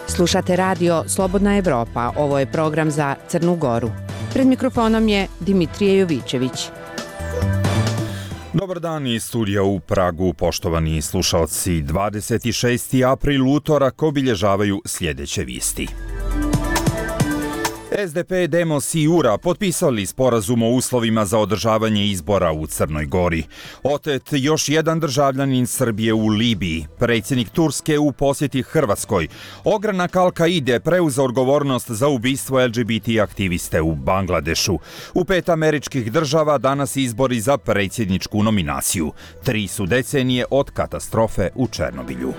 Slušate radio Slobodna Evropa, ovo je program za Crnu Goru. Pred mikrofonom je Dimitrije Jovićević. Dobar dan iz studija u Pragu, poštovani slušalci. 26. april utorak obilježavaju sljedeće vijesti. SDP, Demos i URA potpisali sporazum o uslovima za održavanje izbora u Crnoj Gori. Otet još jedan državljanin Srbije u Libiji. Predsjednik Turske u posjeti Hrvatskoj. Ogranak Al-Kaide preuzeo odgovornost za ubistvo LGBT aktiviste u Bangladešu. U 5 američkih država danas izbori za predsjedničku nominaciju. 3 su decenije od katastrofe u Černobilju.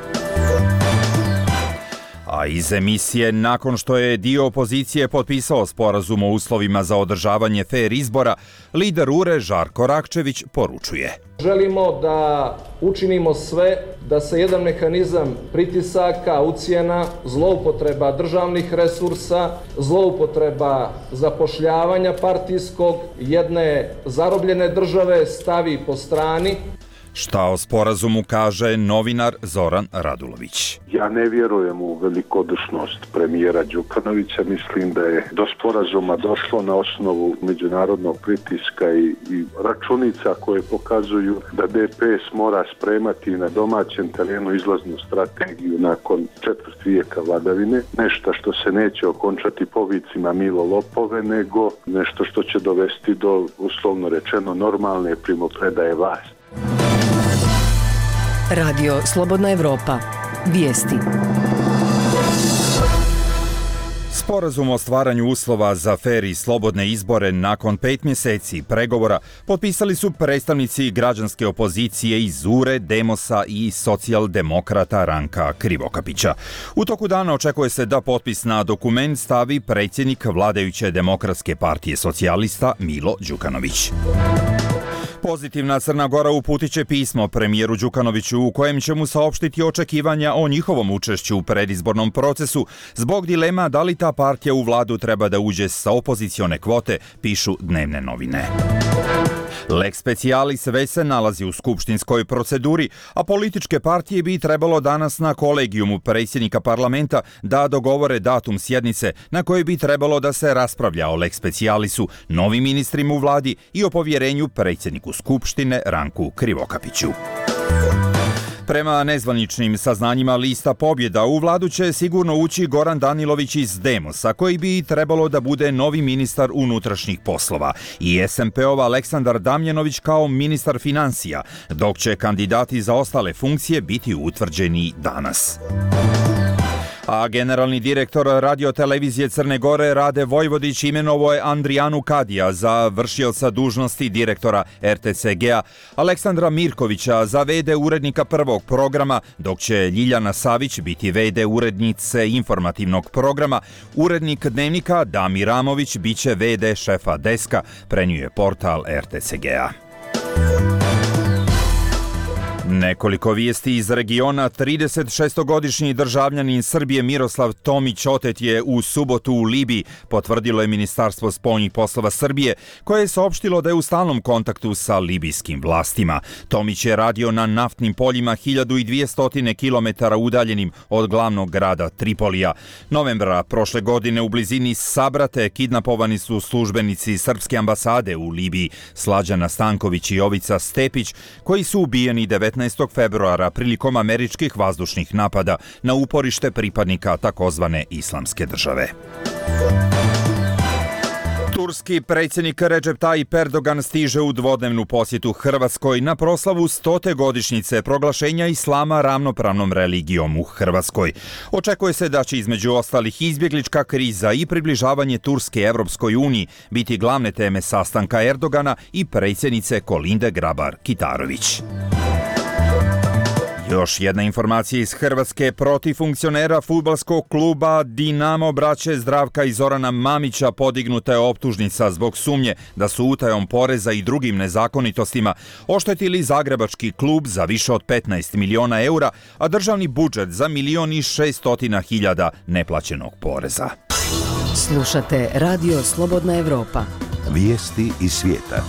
A iz emisije, nakon što je dio opozicije potpisao sporazum o uslovima za održavanje fer izbora, lider URE Žarko Rakčević poručuje. Želimo da učinimo sve da se jedan mehanizam pritisaka, ucjena, zloupotreba državnih resursa, zloupotreba zapošljavanja partijskog jedne zarobljene države stavi po strani. Šta o sporazumu kaže novinar Zoran Radulović. Ja ne vjerujem u velikodušnost premijera Đukanovića. Mislim da je do sporazuma došlo na osnovu međunarodnog pritiska i računica koje pokazuju da DPS mora spremati na domaćem terenu izlaznu strategiju nakon 4 vijeka vladavine. Nešto što se neće okončati povicima Milo lopove, nego nešto što će dovesti do, uslovno rečeno, normalne primopredaje vlasti. Radio Slobodna Evropa. Vijesti. Sporazum o stvaranju uslova za fer i slobodne izbore nakon 5 mjeseci pregovora potpisali su predstavnici građanske opozicije iz URE, Demosa i socijaldemokrata Ranka Krivokapića. U toku dana očekuje se da potpis na dokument stavi predsjednik vladajuće Demokratske partije socijalista Milo Đukanović. Pozitivna Crna Gora uputit će pismo premijeru Đukanoviću u kojem će mu saopštiti očekivanja o njihovom učešću u predizbornom procesu zbog dilema da li ta partija u vladu treba da uđe sa opozicione kvote, pišu dnevne novine. Lex specialis već se nalazi u skupštinskoj proceduri, a političke partije bi trebalo danas na kolegijumu predsjednika parlamenta da dogovore datum sjednice na kojoj bi trebalo da se raspravlja o lex specialisu, novim ministrima u vladi i o povjerenju predsjedniku skupštine Ranku Krivokapiću. Prema nezvaničnim saznanjima lista pobjeda u vladu će sigurno ući Goran Danilović iz Demosa, koji bi trebalo da bude novi ministar unutrašnjih poslova, i SMP-ov Aleksandar Damjanović kao ministar financija, dok će kandidati za ostale funkcije biti utvrđeni danas. A generalni direktor radiotelevizije Crne Gore Rade Vojvodić imenovao je Andrijanu Kadija za vršioca dužnosti direktora RTCG-a, Aleksandra Mirkovića za VD urednika prvog programa, dok će Ljiljana Savić biti VD urednice informativnog programa. Urednik dnevnika Damir Ramović biće VD šefa deska, prenio je portal RTCG-a. Nekoliko vijesti iz regiona. 36-godišnji državljanin Srbije Miroslav Tomić otet je u subotu u Libiji, potvrdilo je Ministarstvo spoljnih poslova Srbije, koje je saopštilo da je u stalnom kontaktu sa libijskim vlastima. Tomić je radio na naftnim poljima 1200 km udaljenim od glavnog grada Tripolija. Novembra prošle godine u blizini Sabrate kidnapovani su službenici srpske ambasade u Libiji, Slađana Stanković i Jovica Stepić, koji su ubijeni 19. februara prilikom američkih vazdušnih napada na uporište pripadnika takozvane Islamske države. Turski predsjednik Recep Tayyip Erdogan stiže u dvodnevnu posjetu Hrvatskoj na proslavu 100. godišnjice proglašenja islama ravnopravnom religijom u Hrvatskoj. Očekuje se da će između ostalih izbjeglička kriza i približavanje Turske Evropskoj uniji biti glavne teme sastanka Erdogana i predsjednice Kolinde Grabar-Kitarović. Još jedna informacija iz Hrvatske. Protiv funkcionera fudbalskog kluba Dinamo braće Zdravka i Zorana Mamića podignuta je optužnica zbog sumnje da su utajom poreza i drugim nezakonitostima oštetili zagrebački klub za više od 15 miliona eura, a državni budžet za 1.600.000 neplaćenog poreza. Slušate Radio Slobodna Evropa. Vijesti iz svijeta.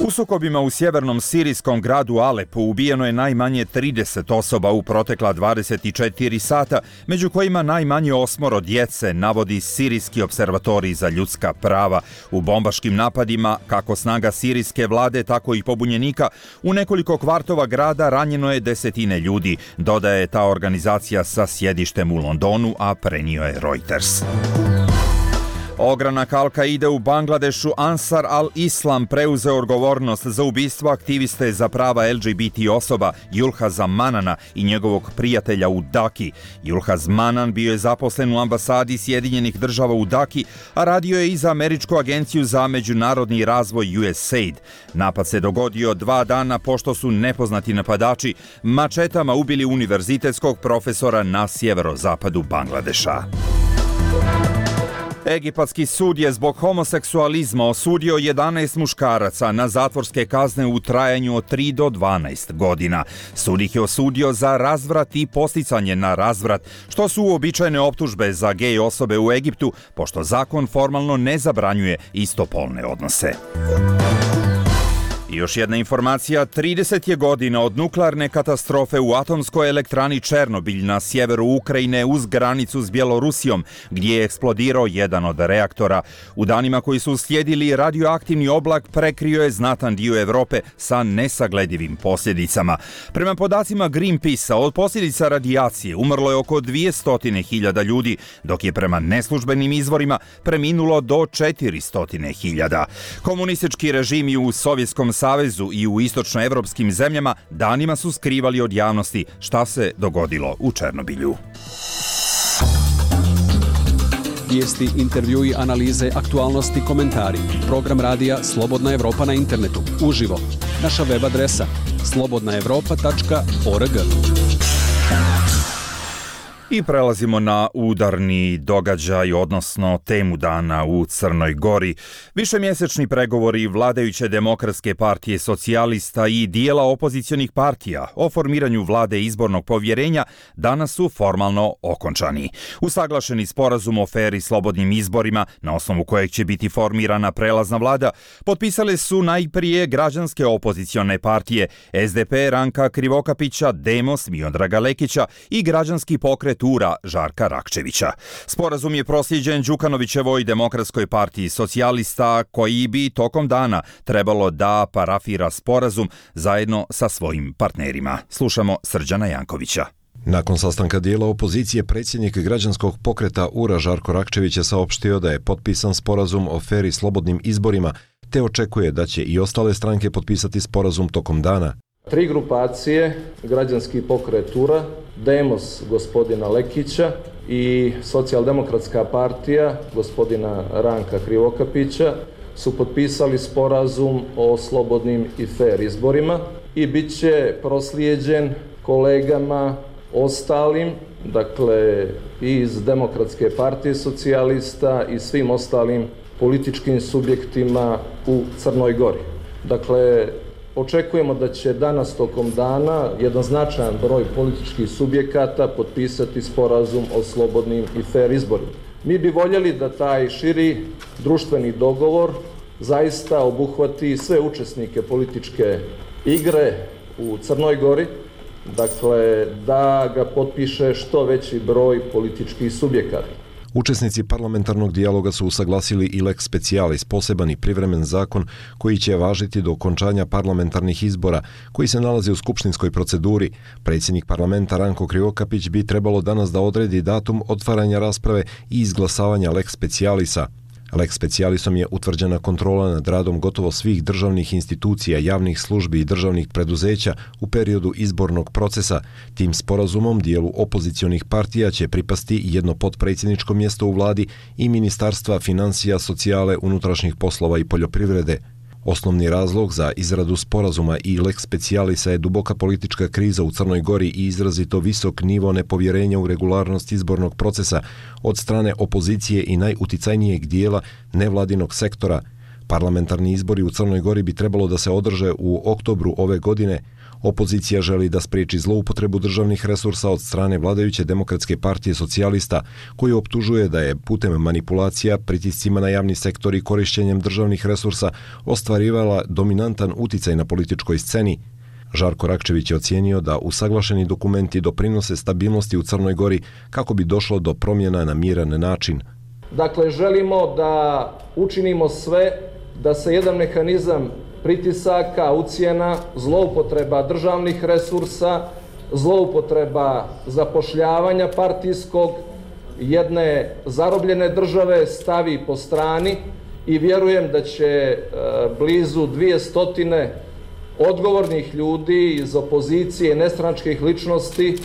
U sukobima u sjevernom sirijskom gradu Alepu ubijeno je najmanje 30 osoba u protekla 24 sata, među kojima najmanje 8 djece, navodi Sirijski observatorij za ljudska prava. U bombaškim napadima, kako snaga sirijske vlade, tako i pobunjenika, u nekoliko kvartova grada ranjeno je desetine ljudi, dodaje ta organizacija sa sjedištem u Londonu, a prenio je Reuters. Ogranak Al-Kaide u Bangladešu Ansar al-Islam preuzeo odgovornost za ubistvo aktiviste za prava LGBT osoba Yulhaza Manana i njegovog prijatelja u Daki. Yulhaz Manan bio je zaposlen u ambasadi Sjedinjenih država u Daki, a radio je i za Američku agenciju za međunarodni razvoj USAID. Napad se dogodio 2 dana pošto su nepoznati napadači mačetama ubili univerzitetskog profesora na sjeverozapadu Bangladeša. Egipatski sud je zbog homoseksualizma osudio 11 muškaraca na zatvorske kazne u trajanju od 3 do 12 godina. Sud ih je osudio za razvrat i posticanje na razvrat, što su uobičajene optužbe za gej osobe u Egiptu, pošto zakon formalno ne zabranjuje istopolne odnose. I još jedna informacija, 30 je godina od nuklearne katastrofe u atomskoj elektrani Černobilj na sjeveru Ukrajine uz granicu s Bjelorusijom, gdje je eksplodirao jedan od reaktora. U danima koji su uslijedili, radioaktivni oblak prekrio je znatan dio Europe sa nesagledivim posljedicama. Prema podacima Greenpeacea, od posljedica radijacije umrlo je oko 200.000 ljudi, dok je prema neslužbenim izvorima preminulo do 400.000. Komunistički režimi u Sovjetskom savezu i u istočnoevropskim zemljama danima su skrivali od javnosti šta se dogodilo u Černobilju. Vijesti, intervjui, analize, aktualnosti, komentari. Program radija Slobodna Evropa na internetu. Uživo. Naša web adresa slobodnaevropa.org. I prelazimo na udarni događaj, odnosno temu dana u Crnoj Gori. Višemjesečni pregovori vladajuće Demokratske partije socijalista i dijela opozicionih partija o formiranju vlade izbornog povjerenja danas su formalno okončani. Usaglašeni sporazum o fer i slobodnim izborima, na osnovu kojeg će biti formirana prelazna vlada, potpisale su najprije građanske opozicione partije SDP Ranka Krivokapića, Demos Miodraga Lekića i građanski pokret Ura Žarka Rakčevića. Sporazum je proslijeđen Đukanovićevoj Demokratskoj partiji socijalista, koji bi tokom dana trebalo da parafira sporazum zajedno sa svojim partnerima. Slušamo Srđana Jankovića. Nakon sastanka dijela opozicije, predsjednik građanskog pokreta Ura Žarko Rakčević je saopštio da je potpisan sporazum o fer i slobodnim izborima, te očekuje da će i ostale stranke potpisati sporazum tokom dana. 3 grupacije, građanski pokret Ura, Demos gospodina Lekića i Socijaldemokratska partija gospodina Ranka Krivokapića su potpisali sporazum o slobodnim i fer izborima i bit će proslijeđen kolegama ostalim, dakle i iz Demokratske partije socijalista i svim ostalim političkim subjektima u Crnoj Gori. Dakle, očekujemo da će danas tokom dana jedan značajan broj političkih subjekata potpisati sporazum o slobodnim i fer izborima. Mi bi voljeli da taj širi društveni dogovor zaista obuhvati sve učesnike političke igre u Crnoj Gori, dakle da ga potpiše što veći broj političkih subjekata. Učesnici parlamentarnog dijaloga su usaglasili i lex specialis, poseban i privremen zakon koji će važiti do okončanja parlamentarnih izbora, koji se nalaze u skupštinskoj proceduri. Predsjednik parlamenta Ranko Krivokapić bi trebalo danas da odredi datum otvaranja rasprave i izglasavanja lex specialisa. Lex specialisom je utvrđena kontrola nad radom gotovo svih državnih institucija, javnih službi i državnih preduzeća u periodu izbornog procesa. Tim sporazumom dijelu opozicionih partija će pripasti jedno potpredsjedničko mjesto u vladi i ministarstva financija, socijale, unutrašnjih poslova i poljoprivrede. Osnovni razlog za izradu sporazuma i lex specialisa je duboka politička kriza u Crnoj Gori i izrazito visok nivo nepovjerenja u regularnost izbornog procesa od strane opozicije i najuticajnijeg dijela nevladinog sektora. Parlamentarni izbori u Crnoj Gori bi trebalo da se održe u oktobru ove godine. Opozicija želi da spriječi zloupotrebu državnih resursa od strane vladajuće Demokratske partije socijalista, koju optužuje da je putem manipulacija, pritiscima na javni sektor i korišćenjem državnih resursa ostvarivala dominantan uticaj na političkoj sceni. Žarko Rakčević je ocijenio da usaglašeni dokumenti doprinose stabilnosti u Crnoj Gori kako bi došlo do promjena na miran način. Dakle, želimo da učinimo sve da se jedan mehanizam pritisaka, ucjena, zloupotreba državnih resursa, zloupotreba zapošljavanja partijskog, jedne zarobljene države stavi po strani i vjerujem da će blizu 200 odgovornih ljudi iz opozicije i nestranačkih ličnosti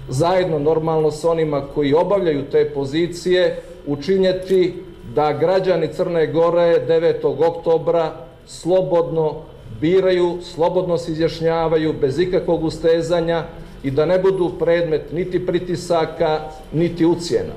zajedno normalno s onima koji obavljaju te pozicije učinjeti da građani Crne Gore 9. oktobra slobodno biraju, slobodno se izjašnjavaju bez ikakvog ustezanja i da ne budu predmet niti pritisaka, niti ucjena.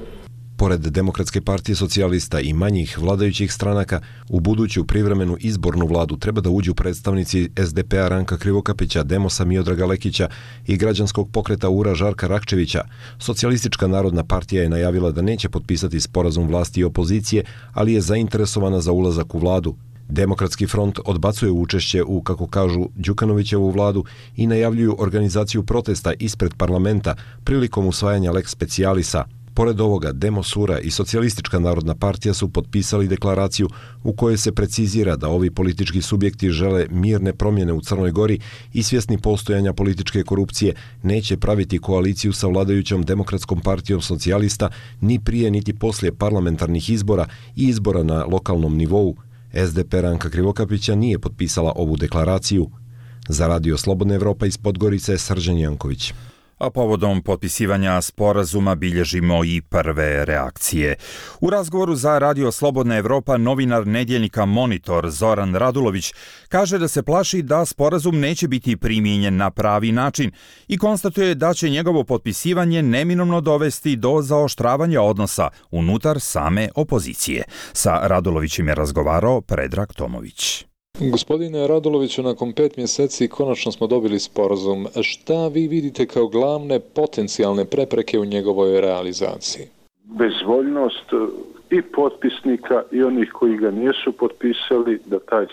Pored Demokratske partije socijalista i manjih vladajućih stranaka, u buduću privremenu izbornu vladu treba da uđu predstavnici SDP-a Ranka Krivokapića, Demosa Miodraga Lekića i građanskog pokreta URA Žarka Rakčevića. Socijalistička narodna partija je najavila da neće potpisati sporazum vlasti i opozicije, ali je zainteresovana za ulazak u vladu. Demokratski front odbacuje učešće u, kako kažu, Đukanovićevu vladu i najavljuju organizaciju protesta ispred parlamenta prilikom usvajanja lex specialisa. Pored ovoga, Demos, URA i Socijalistička narodna partija su potpisali deklaraciju u kojoj se precizira da ovi politički subjekti žele mirne promjene u Crnoj Gori i svjesni postojanja političke korupcije neće praviti koaliciju sa vladajućom Demokratskom partijom socijalista ni prije niti poslije parlamentarnih izbora i izbora na lokalnom nivou. SDP Ranka Krivokapića nije potpisala ovu deklaraciju. Za Radio Slobodna Evropa iz Podgorice, Srđan Janković. A povodom potpisivanja sporazuma bilježimo i prve reakcije. U razgovoru za Radio Slobodna Evropa novinar nedjeljnika Monitor Zoran Radulović kaže da se plaši da sporazum neće biti primijenjen na pravi način i konstatuje da će njegovo potpisivanje neminovno dovesti do zaoštravanja odnosa unutar same opozicije. Sa Radulovićem je razgovarao Predrag Tomović. Gospodine Raduloviću, nakon 5 mjeseci konačno smo dobili sporazum. Šta vi vidite kao glavne potencijalne prepreke u njegovoj realizaciji? Bezvoljnost i potpisnika i onih koji ga nisu potpisali da taj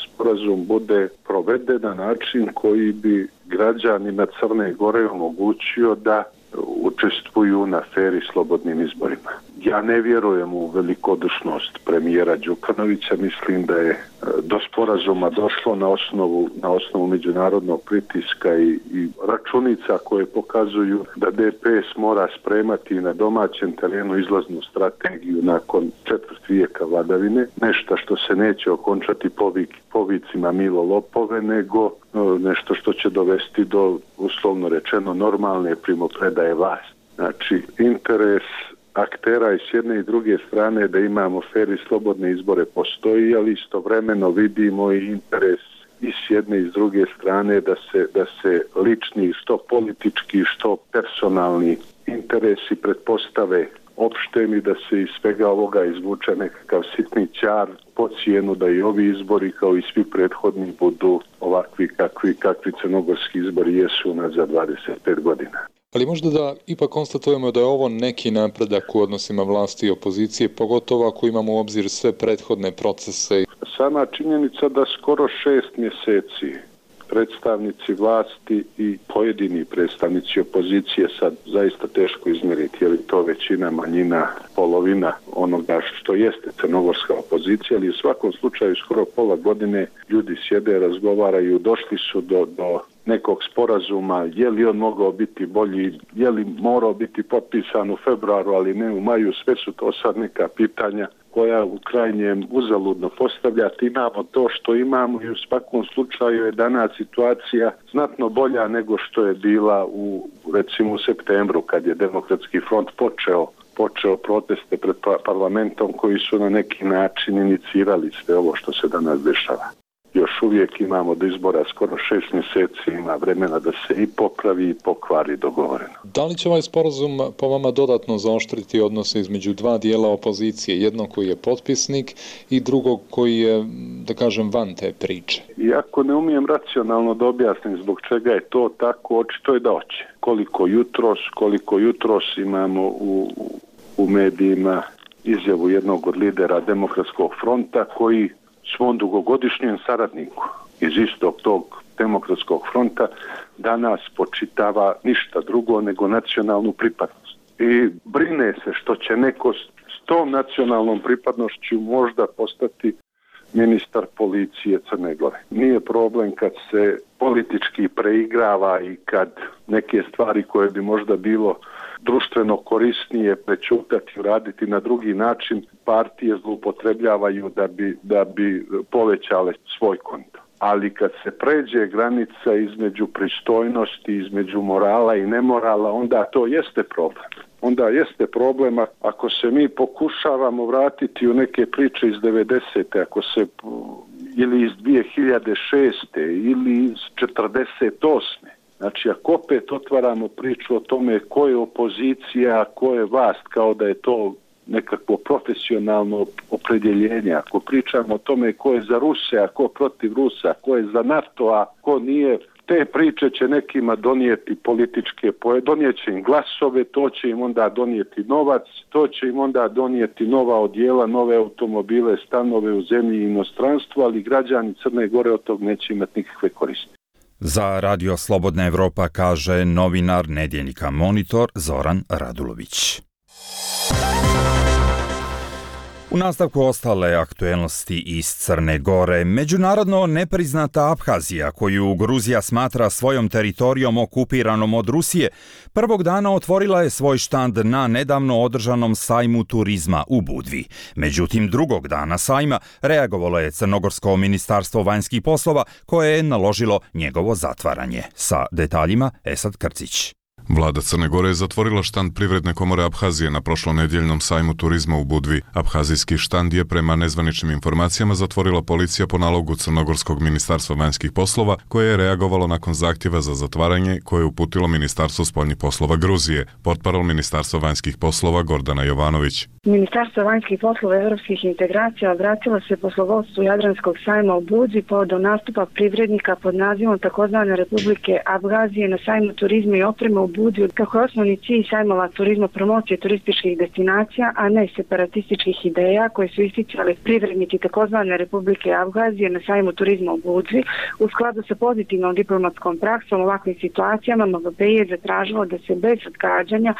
sporazum bude proveden na način koji bi građanima Crne Gore omogućio da učestvuju na feri slobodnim izborima. Ja ne vjerujem u velikodušnost premijera Đukanovića, mislim da je do sporazuma došlo na osnovu međunarodnog pritiska i računica koje pokazuju da DPS mora spremati na domaćem terenu izlaznu strategiju nakon 4 vijeka vladavine, nešto što se neće okončati povicima Milo lopove, nego nešto što će dovesti do, uslovno rečeno, normalne primopredaje vlasti. Znači, interes aktera i s jedne i druge strane da imamo fer i slobodne izbore postoji, ali istovremeno vidimo i interes i s jedne i s druge strane da se lični, što politički, što personalni interesi pretpostave opštem i da se iz svega ovoga izvuče nekakav sitni ćar po cijenu da i ovi izbori kao i svi prethodni budu ovakvi kakvi crnogorski izbori jesu za 25 godina. Ali možda da ipak konstatujemo da je ovo neki napredak u odnosima vlasti i opozicije, pogotovo ako imamo u obzir sve prethodne procese. Sama činjenica da skoro 6 mjeseci predstavnici vlasti i pojedini predstavnici opozicije, sad zaista teško izmjeriti je li to većina, manjina, polovina onoga što jeste crnogorska opozicija, ali u svakom slučaju skoro pola godine ljudi sjede, razgovaraju, došli su do nekog sporazuma, je li on mogao biti bolji, je li morao biti potpisan u februaru, ali ne u maju, sve su to sad neka pitanja koja u krajnjem uzaludno postavljati. Imamo to što imamo i u svakom slučaju je danas situacija znatno bolja nego što je bila recimo u septembru kad je Demokratski front počeo proteste pred parlamentom koji su na neki način inicirali sve ovo što se danas dešava. još uvijek imamo do izbora skoro 6 mjeseci, ima vremena da se i popravi i pokvari dogovoreno. Da li će ovaj sporazum po vama dodatno zaoštriti odnose između dva dijela opozicije, jednog koji je potpisnik i drugog koji je, da kažem, van te priče? Iako ne umijem racionalno da objasnim zbog čega je to tako, očito je da hoće. Koliko jutros imamo u medijima izjavu jednog od lidera Demokratskog fronta koji svom dugogodišnjem saradniku iz istog tog Demokratskog fronta danas počitava ništa drugo nego nacionalnu pripadnost. I brine se što će neko s tom nacionalnom pripadnošću možda postati ministar policije Crne Gore. Nije problem kad se politički preigrava i kad neke stvari koje bi možda bilo društveno korisnije prečutati, uraditi na drugi način, partije zloupotrebljavaju da bi povećale svoj konto. Ali kad se pređe granica između pristojnosti, između morala i nemorala, onda to jeste problem. Onda jeste problem ako se mi pokušavamo vratiti u neke priče iz 90. ako se ili iz 2006. ili iz 48. Znači, ako opet otvaramo priču o tome ko je opozicija, ko je vlast, kao da je to nekakvo profesionalno opredjeljenje, ako pričamo o tome ko je za Ruse, a ko protiv Rusa, ko je za NATO, a ko nije, te priče će nekima donijeti političke, donijet će im glasove, to će im onda donijeti novac, to će im onda donijeti nova odjela, nove automobile, stanove u zemlji i inostranstvu, ali građani Crne Gore od tog neće imati nikakve koristi. Za Radio Slobodna Evropa kaže novinar nedjeljnika Monitor Zoran Radulović. U nastavku ostale aktuelnosti iz Crne Gore, međunarodno nepriznata Abhazija, koju Gruzija smatra svojom teritorijom okupiranom od Rusije, prvog dana otvorila je svoj štand na nedavno održanom sajmu turizma u Budvi. Međutim, drugog dana sajma reagovalo je Crnogorsko ministarstvo vanjskih poslova koje je naložilo njegovo zatvaranje. Sa detaljima Esad Krcić. Vlada Crne Gore je zatvorila štand Privredne komore Abhazije na prošlonedjeljnom sajmu turizma u Budvi. Abhazijski štand je prema nezvaničnim informacijama zatvorila policija po nalogu Crnogorskog ministarstva vanjskih poslova, koje je reagovalo nakon zahtjeva za zatvaranje koje je uputilo Ministarstvo spoljnih poslova Gruzije. Portparol Ministarstva vanjskih poslova Gordana Jovanović. Ministarstvo vanjskih poslova i evropskih integracija obratilo se poslovodstvu Jadranskog sajma u Budvi povodom nastupa privrednika pod nazivom takozvane Republike Abhazije na sajmu turizma i opreme u Budvi, kako je osnovni cilj sajmova turizma promocije turističkih destinacija, a ne separatističkih ideja koje su isticali privrednici takozvane Republike Abhazije na sajmu turizma u Budvi. U skladu sa pozitivnom diplomatskom praksom u ovakvim situacijama MVPI je zatražilo da se bez odgađanja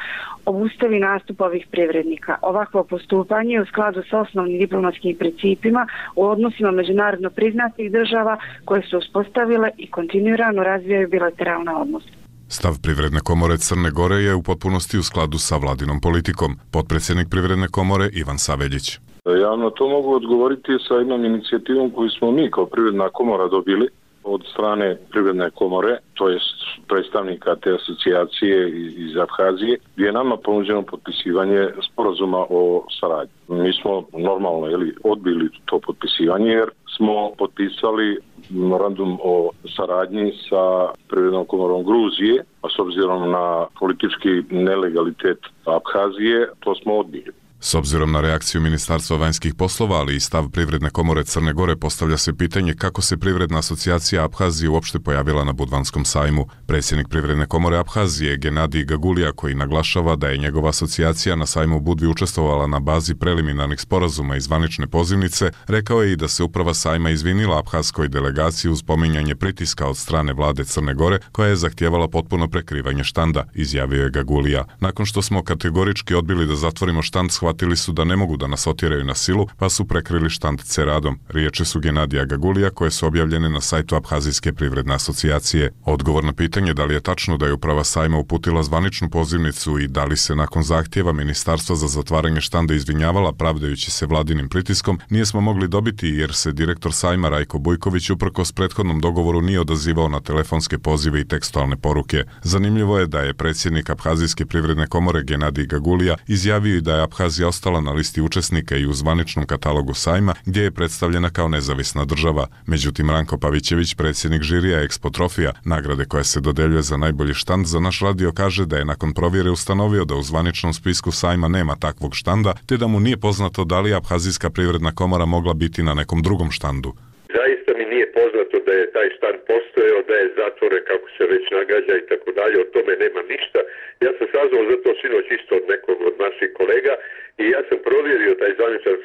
obustavi nastup ovih privrednika. Ovakvo postupanje je u skladu sa osnovnim diplomatskim principima u odnosima međunarodno priznatih država koje su uspostavile i kontinuirano razvijaju bilateralne odnose. Stav Privredne komore Crne Gore je u potpunosti u skladu sa vladinom politikom. Potpredsjednik Privredne komore Ivan Saveljić. Ja na to mogu odgovoriti sa jednom inicijativom koju smo mi kao Privredna komora dobili od strane Privredne komore, to jest predstavnika te asocijacije iz Abhazije, gdje je nama ponuđeno potpisivanje sporazuma o saradnji. Mi smo normalno odbili to potpisivanje jer smo potpisali memorandum o saradnji sa Privrednom komorom Gruzije, a s obzirom na politički nelegalitet Abhazije, to smo odbili. S obzirom na reakciju Ministarstva vanjskih poslova, ali i stav Privredne komore Crne Gore, postavlja se pitanje kako se Privredna asocijacija Abhazije uopšte pojavila na Budvanskom sajmu. Predsjednik Privredne komore Abhazije, Genadij Gagulija, koji naglašava da je njegova asocijacija na sajmu u Budvi učestvovala na bazi preliminarnih sporazuma i zvanične pozivnice, rekao je i da se uprava sajma izvinila abhazskoj delegaciji uz spominjanje pritiska od strane vlade Crne Gore, koja je zahtijevala potpuno prekrivanje štanda, izjavio je Gagulija. Nakon što smo kategorički odbili da zatvorimo štand, shvatili su da ne mogu da nas otjeraju na silu, pa su prekrili štand ceradom. Riječi su Genadija Gagulija koje su objavljene na sajtu Abhazijske privredne asocijacije. Odgovor na pitanje da li je tačno da je uprava sajma uputila zvaničnu pozivnicu i da li se nakon zahtjeva Ministarstva za zatvaranje štanda izvinjavala pravdajući se vladinim pritiskom, nismo mogli dobiti jer se direktor sajma Rajko Bujković uprkos prethodnom dogovoru nije odazivao na telefonske pozive i tekstualne poruke. Zanimljivo je da je predsjednik Abhazijske privredne komore Genadij Gagulija izjavio i da je Abhazija Abhazija ostala na listi učesnika i u zvaničnom katalogu sajma, gdje je predstavljena kao nezavisna država. Međutim, Ranko Pavićević, predsjednik žirija Expo Trofija, nagrade koja se dodeljuje za najbolji štand, za naš radio kaže da je nakon provjere ustanovio da u zvaničnom spisku sajma nema takvog štanda, te da mu nije poznato da li Abhazijska privredna komora mogla biti na nekom drugom štandu. Zaista mi nije poznato da je taj štand postojao, da je zatvoren kako se već nagađa i tako dalje, o tome nema ništa. Ja sam saznao za to sinoć isto od nekog od naših kolega i ja sam provjerio taj zvaničan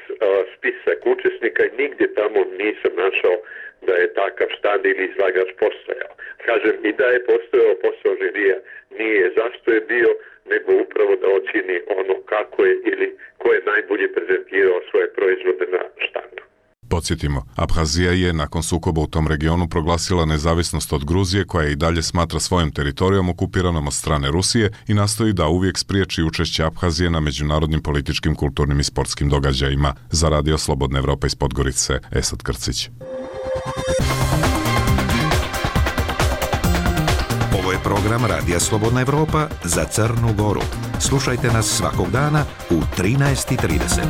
spisak učesnika i nigdje tamo nisam našao da je takav štand ili izlagač postojao. Kažem, i da je posao žirija nije zašto je bio, nego upravo da ocijeni ono kako je ili ko je najbolje prezentirao svoje proizvode na štandu. Podsjetimo, Abhazija je nakon sukoba u tom regionu proglasila nezavisnost od Gruzije, koja i dalje smatra svojim teritorijom okupiranom od strane Rusije i nastoji da uvijek spriječi učešće Abhazije na međunarodnim političkim, kulturnim i sportskim događajima. Za radio Slobodna Evropa iz Podgorice, Esad Krcić. Ovo je program Radija Slobodna Evropa za Crnu Goru. Slušajte nas svakog dana u 13:30.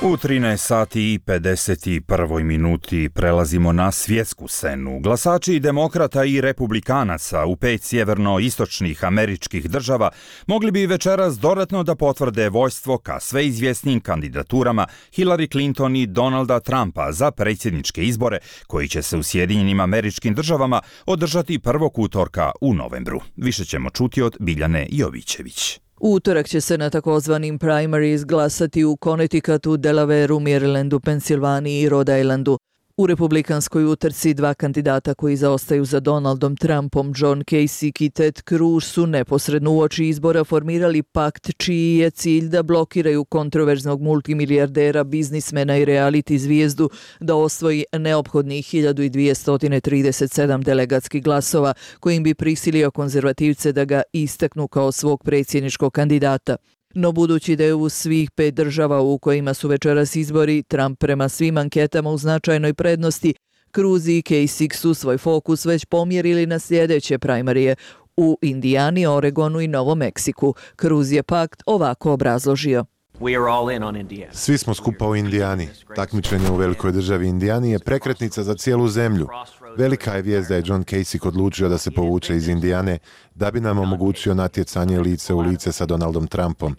U 13 sati i 51 minuti prelazimo na svjetsku scenu. Glasači demokrata i republikanaca u 5 sjeverno-istočnih američkih država mogli bi večeras dodatno da potvrde vojstvo ka sve izvjesnijim kandidaturama Hillary Clinton i Donalda Trumpa za predsjedničke izbore koji će se u Sjedinjenim Američkim Državama održati 1. utorka u novembru. Više ćemo čuti od Biljane Jovićević. U utorak će se na takozvanim primaries glasati u Connecticutu, Delawareu, Marylandu, Pensilvaniji i Rhode Islandu. U republikanskoj utrci dva kandidata koji zaostaju za Donaldom Trumpom, John Kasich i Ted Cruz, su neposredno uoči izbora formirali pakt čiji je cilj da blokiraju kontroverznog multimilijardera, biznismena i reality zvijezdu da osvoji neophodnih 1237 delegatskih glasova, kojim bi prisilio konzervativce da ga istaknu kao svog predsjedničkog kandidata. No budući da je u svih 5 država u kojima su večeras izbori Trump prema svim anketama u značajnoj prednosti, Cruz i Kasich su svoj fokus već pomjerili na sljedeće primarije u Indijani, Oregonu i Novom Meksiku. Cruz je pakt ovako obrazložio. Svi smo skupa u Indijani. Takmičenje u velikoj državi Indijani je prekretnica za cijelu zemlju. Velika je vijest da je John Kasich odlučio da se povuče iz Indijane da bi nam omogućio natjecanje lice u lice sa Donaldom Trumpom.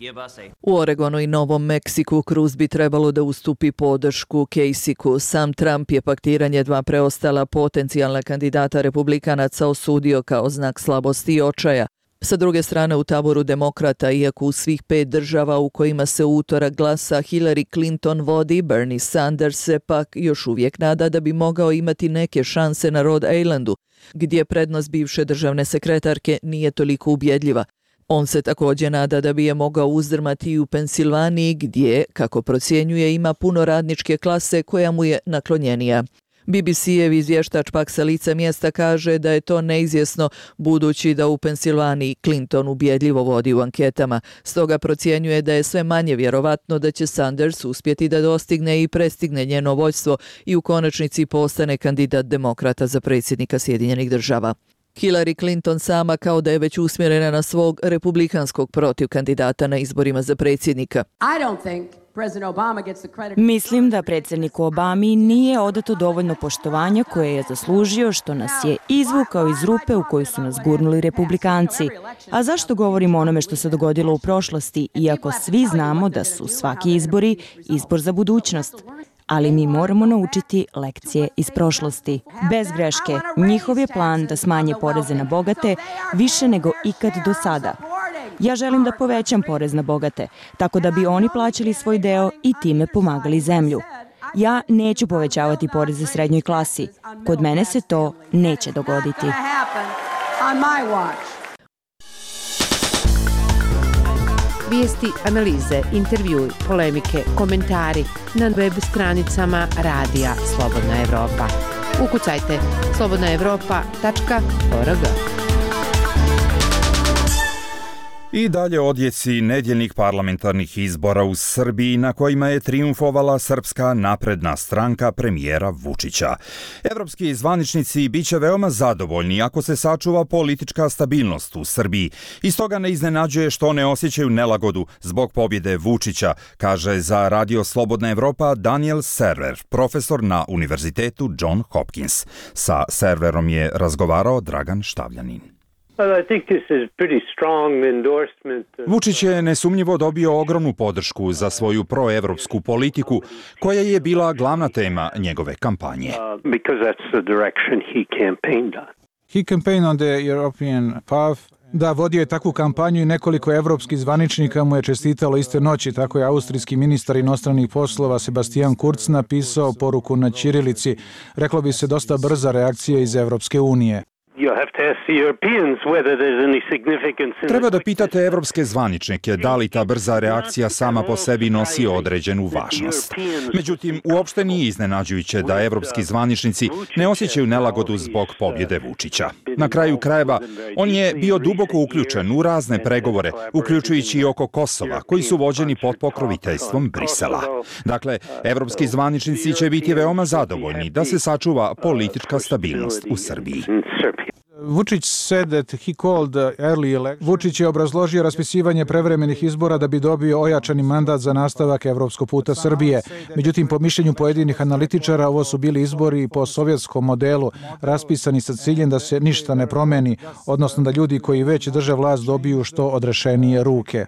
U Oregonu i Novom Meksiku Cruz bi trebalo da ustupi podršku Kasichu. Sam Trump je paktiranje dva preostala potencijalna kandidata republikanaca osudio kao znak slabosti i očaja. Sa druge strane, u taboru demokrata, iako u svih 5 država u kojima se u utorak glasa Hillary Clinton vodi, Bernie Sanders se pak još uvijek nada da bi mogao imati neke šanse na Rhode Islandu, gdje prednost bivše državne sekretarke nije toliko ubjedljiva. On se također nada da bi je mogao uzdrmati i u Pensilvaniji, gdje, kako procjenjuje, ima puno radničke klase koja mu je naklonjenija. BBC-ev izvještač pak sa lica mjesta kaže da je to neizvjesno budući da u Pensilvaniji Clinton ubjedljivo vodi u anketama. Stoga procjenjuje da je sve manje vjerovatno da će Sanders uspjeti da dostigne i prestigne njeno vođstvo i u konačnici postane kandidat demokrata za predsjednika Sjedinjenih Država. Hillary Clinton sama kao da je već usmjerena na svog republikanskog protiv kandidata na izborima za predsjednika. Mislim da predsjedniku Obami nije odato dovoljno poštovanja koje je zaslužio, što nas je izvukao iz rupe u koju su nas gurnuli republikanci. A zašto govorimo o onome što se dogodilo u prošlosti, iako svi znamo da su svaki izbori izbor za budućnost? Ali mi moramo naučiti lekcije iz prošlosti. Bez greške, njihov je plan da smanje poreze na bogate više nego ikad do sada. Ja želim da povećam porez na bogate, tako da bi oni plaćali svoj deo i time pomagali zemlju. Ja neću povećavati poreze srednjoj klasi. Kod mene se to neće dogoditi. Vijesti, analize, intervjui, polemike, komentari na web stranicama Radija Slobodna Evropa. Ukucajte slobodnaevropa.org. I dalje odjeci nedjeljnih parlamentarnih izbora u Srbiji na kojima je trijumfovala Srpska napredna stranka premijera Vučića. Evropski zvaničnici bit će veoma zadovoljni ako se sačuva politička stabilnost u Srbiji. I stoga ne iznenađuje što ne osjećaju nelagodu zbog pobjede Vučića, kaže za Radio Slobodna Evropa Daniel Server, profesor na Univerzitetu John Hopkins. Sa Serverom je razgovarao Dragan Štavljanin. Vučić je nesumnjivo dobio ogromnu podršku za svoju proevropsku politiku, koja je bila glavna tema njegove kampanje. He campaigned on the European path. Da, vodio je takvu kampanju i nekoliko evropskih zvaničnika mu je čestitalo iste noći. Tako je austrijski ministar inostranih poslova Sebastian Kurz napisao poruku na ćirilici. Reklo bi se dosta brza reakcija iz Evropske unije. Treba da pitate evropske zvaničnike da li ta brza reakcija sama po sebi nosi određenu važnost. Međutim, uopšte nije iznenađujuće da evropski zvaničnici ne osjećaju nelagodu zbog pobjede Vučića. Na kraju krajeva, on je bio duboko uključen u razne pregovore, uključujući i oko Kosova, koji su vođeni pod pokroviteljstvom Brisela. Dakle, evropski zvaničnici će biti veoma zadovoljni da se sačuva politička stabilnost u Srbiji. Vučić je obrazložio raspisivanje prevremenih izbora da bi dobio ojačani mandat za nastavak evropskog puta Srbije. Međutim, po mišljenju pojedinih analitičara, ovo su bili izbori po sovjetskom modelu, raspisani sa ciljem da se ništa ne promeni, odnosno da ljudi koji već drže vlast dobiju što odrešenije ruke.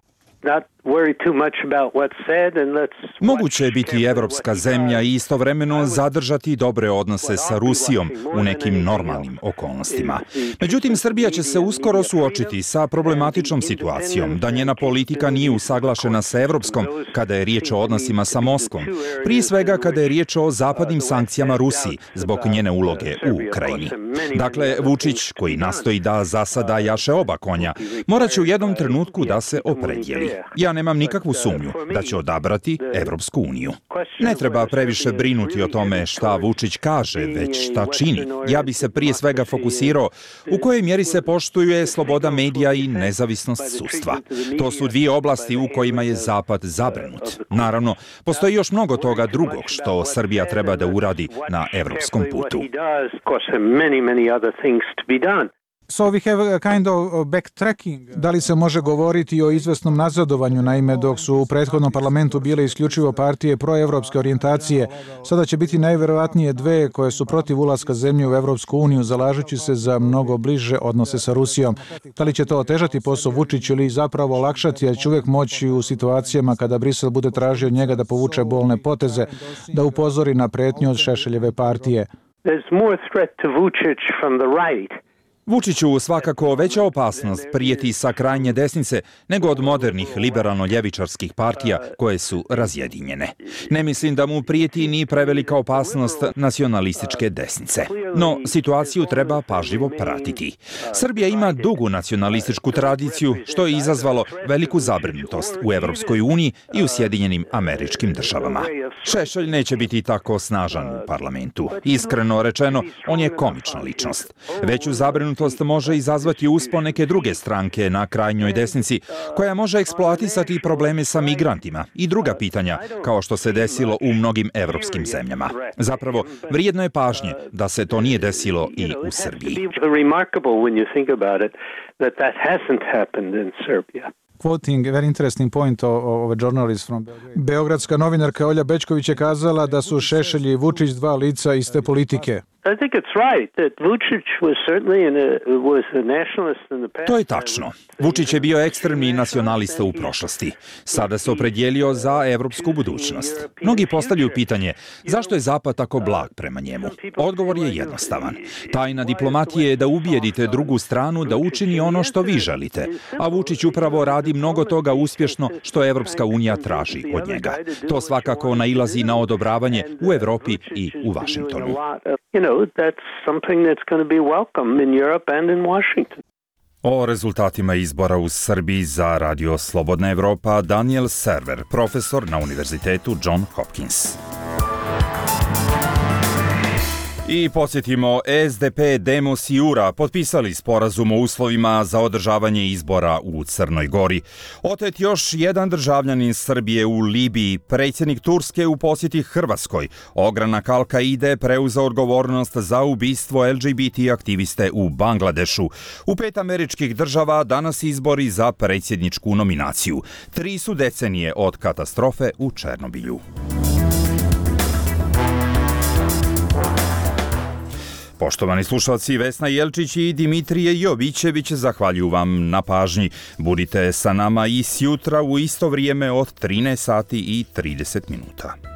Moguće je biti evropska zemlja i istovremeno zadržati dobre odnose sa Rusijom u nekim normalnim okolnostima. Međutim, Srbija će se uskoro suočiti sa problematičnom situacijom da njena politika nije usaglašena sa evropskom kada je riječ o odnosima sa Moskvom, prije svega kada je riječ o zapadnim sankcijama Rusiji zbog njene uloge u Ukrajini. Dakle, Vučić, koji nastoji da zasada jaše oba konja, morat će u jednom trenutku da se opredijeli. Ja nemam nikakvu sumnju da će odabrati Evropsku uniju. Ne treba previše brinuti o tome šta Vučić kaže, već šta čini. Ja bi se prije svega fokusirao u kojoj mjeri se poštuje sloboda medija i nezavisnost sudstva. To su dvije oblasti u kojima je Zapad zabrinut. Naravno, postoji još mnogo toga drugog što Srbija treba da uradi na evropskom putu. So we have a kind of backtracking. Da li se može govoriti o izvesnom nazadovanju, naime dok su u prethodnom parlamentu bile isključivo partije proevropske orijentacije, sada će biti najverovatnije dve koje su protiv ulaska zemlje u Evropsku uniju, zalažući se za mnogo bliže odnose sa Rusijom. Da li će to otežati posao Vučiću ili zapravo olakšati, jer će uvijek moći u situacijama kada Brisel bude tražio od njega da povuče bolne poteze, da upozori na pretnju od Šešeljeve partije. There's more threat to Vučić from the right. Vučiću svakako veća opasnost prijeti sa krajnje desnice nego od modernih liberalno-ljevičarskih partija koje su razjedinjene. Ne mislim da mu prijeti ni prevelika opasnost nacionalističke desnice. No, situaciju treba pažljivo pratiti. Srbija ima dugu nacionalističku tradiciju, što je izazvalo veliku zabrinutost u Evropskoj uniji i u Sjedinjenim Američkim Državama. Šešelj neće biti tako snažan u parlamentu. Iskreno rečeno, on je komična ličnost. Veću zabrinutost može izazvati uspon neke druge stranke na krajnjoj desnici, koja može eksploatisati probleme sa migrantima i druga pitanja, kao što se desilo u mnogim evropskim zemljama. Zapravo, vrijedno je pažnje da se to nije desilo i u Srbiji. Quoting a very interesting point of a journalist from Beogradska novinarka Olja Bečković je kazala da su Šešelj i Vučić dva lica iste politike. I think it's right that Vučić was certainly was a nationalist in the past. To je tačno. Vučić je bio ekstremni nacionalista u prošlosti. Sada se opredijelio za evropsku budućnost. Mnogi postavljaju pitanje zašto je Zapad tako blag prema njemu. Odgovor je jednostavan. Tajna diplomatije je da ubijedite drugu stranu da učini ono što vi želite, a Vučić upravo radi mnogo toga uspješno što Evropska unija traži od njega. To svakako nailazi na odobravanje u Evropi i u Vašingtonu. That's something that's going to be welcome in Europe and in Washington. O rezultatima izbora u Srbiji za Radio Slobodna Evropa Daniel Server, profesor na Univerzitetu John Hopkins. I posjetimo, SDP, Demos i URA potpisali sporazum o uslovima za održavanje izbora u Crnoj Gori. Otet još jedan državljanin Srbije u Libiji, predsjednik Turske u posjeti Hrvatskoj. Ogranak Al-Kaide preuzeo odgovornost za ubistvo LGBT aktiviste u Bangladešu. U 5 američkih država danas izbori za predsjedničku nominaciju. 3 su decenije od katastrofe u Černobilju. Poštovani slušalci, Vesna Jelčić i Dimitrije Jovićević zahvaljuju vam na pažnji. Budite sa nama i sjutra u isto vrijeme od 13 sati i 30 minuta.